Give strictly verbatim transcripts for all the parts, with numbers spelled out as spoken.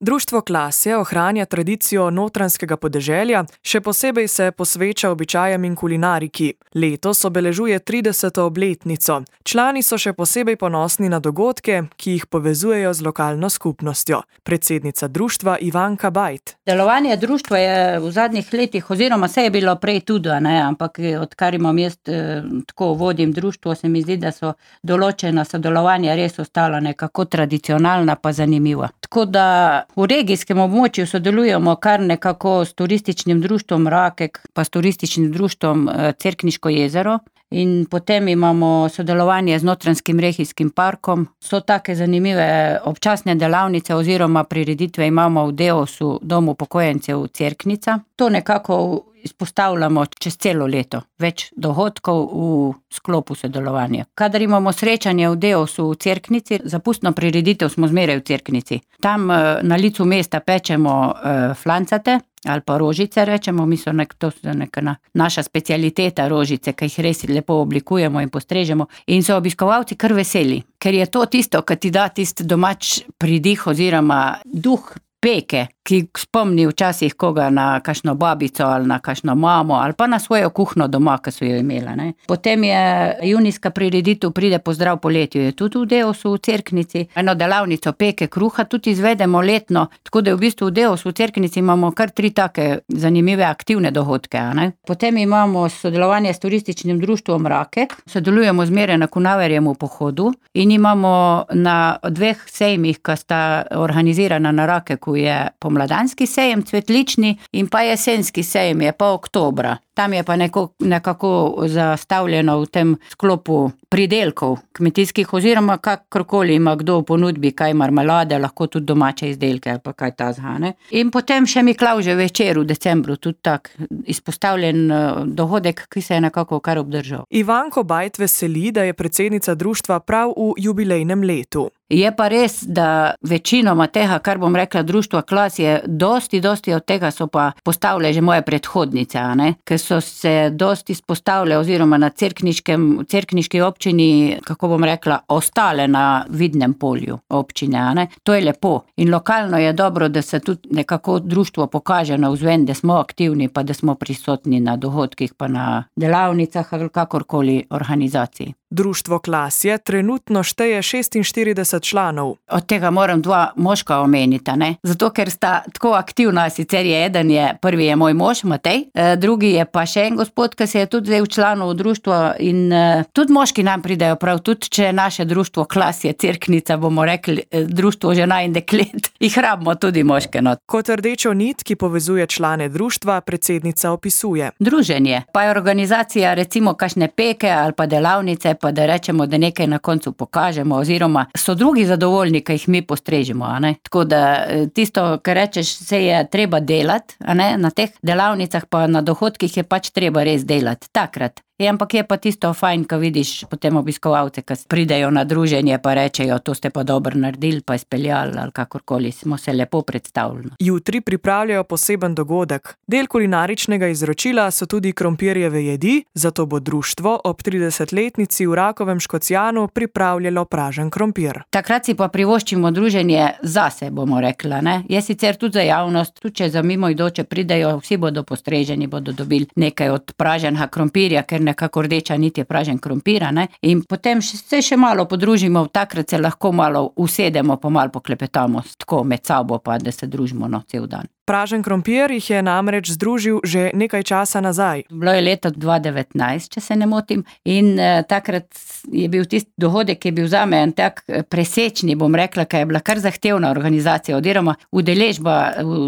Društvo Klasje ohranja tradicijo notranjskega podeželja, še posebej se posveča običajem in kulinariki. Letos obeležuje trideseto obletnico. Člani so še posebej ponosni na dogodke, ki jih povezujejo z lokalno skupnostjo. Predsednica društva Ivanka Bajt. Delovanje društva je v zadnjih letih, oziroma se je bilo prej tudi, ne, ampak odkar imam jaz eh, tako vodim društvo, se mi zdi, da so določena sodelovanja res ostala nekako tradicionalna pa zanimiva. Tako da v regijskem območju sodelujemo kar nekako s turističnim društvom Rakek, pa s turističnim društvom Cerkniško jezero in potem imamo sodelovanje z Notranjskim regijskim parkom. So take zanimive občasne delavnice oziroma prireditve imamo v Deosu, domu upokojencev Cerknica. To nekako izpostavljamo čez celo leto. Več dogodkov v sklopu sodelovanja. Kadar imamo srečanje v Deosu v Cerknici, za pustno prireditev smo zmeraj v Cerknici. Tam na licu mesta pečemo flancate ali pa rožice rečemo, mi so nek, to so neka na, naša specialiteta rožice, ki jih res lepo oblikujemo in postrežemo in so obiskovalci kar veseli, ker je to tisto, ki ti da tisti domač pridih oziroma duh peke, ki spomni včasih koga na kakšno babico ali na kakšno mamo ali pa na svojo kuhno doma, ki so jo imela. Ne. Potem je junijska prireditev Pride pozdrav poletju, je tudi v Deosu v Cerknici. Eno delavnico peke kruha tudi izvedemo letno, tako da v bistvu v Deosu v Cerknici imamo kar tri take zanimive aktivne dogodke. Ne. Potem imamo sodelovanje s turističnim društvom Rakek, sodelujemo zmeraj na Kunaverjem v pohodu in imamo na dveh sejmih, ki sta organizirana na Rakeku, je pomladanski sejem cvetlični in pa jesenski sejem je pa oktobra. Tam je pa neko, nekako zastavljeno v tem sklopu pridelkov kmetijskih oziroma kakorkoli ima kdo v ponudbi, kaj marmelade, lahko tudi domače izdelke ali pa kaj tazga, ne. In potem še Miklavžev večer v decembru, tudi tak izpostavljen dogodek, ki se je nekako kar obdržal. Ivanko Bajt veseli, da je predsednica društva prav v jubilejnem letu. Je pa res, da večinoma tega, kar bom rekla, društva Klasje, dosti, dosti od tega so pa postavile že moje predhodnice, a ne, ker so se dosti izpostavile oziroma na cerkniškem, cerkniški občini, kako bom rekla, ostale na vidnem polju občine, a ne. To je lepo in lokalno je dobro, da se tudi nekako društvo pokaže navzven, da smo aktivni pa da smo prisotni na dogodkih pa na delavnicah ali kakorkoli organizaciji. Društvo Klasje trenutno šteje šestinštirideset članov. Od tega moram dva moška omeniti, ne? Zato, ker sta tako aktivna, sicer je eden je, prvi je moj mož, Matej, drugi je pa še en gospod, ki se je tudi zdaj včlanil v društvo in tudi moški nam pridejo prav, tudi če naše društvo Klasje, Cerknica, bomo rekli, društvo žena in deklet, jih rabimo tudi moške not. Kot rdečo nit, ki povezuje člane društva, predsednica opisuje. Druženje, pa je organizacija recimo kakšne peke ali pa delavnice, pa da rečemo, da nekaj na koncu pokažemo, oziroma so drugi zadovoljni, ki jih mi postrežemo, a ne. Tako da tisto, kar rečeš, se je treba delati, a ne, na teh delavnicah pa na dohodkih je pač treba res delati, takrat. Je, ampak je pa tisto fajn, ko vidiš potem obiskovalce, ki pridejo na druženje pa rečejo, to ste pa dobro naredili, pa izpeljali ali kakorkoli, smo se lepo predstavili. Jutri pripravljajo poseben dogodek. Del kulinaričnega izročila so tudi krompirjeve jedi, zato bo društvo ob tridesetletnici v Rakovem Škocjanu pripravljalo pražen krompir. Takrat si pa privoščimo druženje zase, bomo rekla, ne. Je sicer tudi za javnost, tudi če za mimoidoče pridejo, vsi bodo postreženi, bodo dobili nekaj od praženega krompirja, ker nekako rdeča nit je pražen krompir, ne, in potem se še malo podružimo, takrat se lahko malo usedemo, pa malo poklepetamo, tako med sabo pa, da se družimo, no, cel dan. Pražen krompir jih je namreč združil že nekaj časa nazaj. Bilo je leto dva devetnajst, če se ne motim, in eh, takrat je bil tisti dogodek, ki je bil zame en tak presečni, bom rekla, ker je bila kar zahtevna organizacija, oziroma udeležba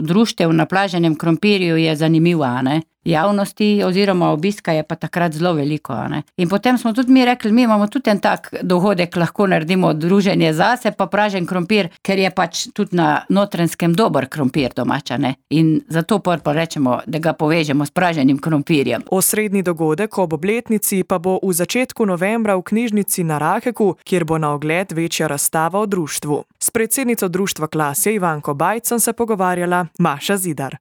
društev na praženem krompirju je zanimiva, ne. Javnosti oziroma obiska je pa takrat zelo veliko, a ne. In potem smo tudi mi rekli, mi imamo tudi en tak dogodek, lahko naredimo druženje zase, pa pražen krompir, ker je pač tudi na Notranjskem dober krompir domača, ne. In zato pa rečemo, da ga povežemo s praženim krompirjem. Osrednji dogodek ob obletnici pa bo v začetku novembra v knjižnici na Rakeku, kjer bo na ogled večja razstava o društvu. S predsednico društva Klasje Ivanko Bajt sem se pogovarjala Maša Zidar.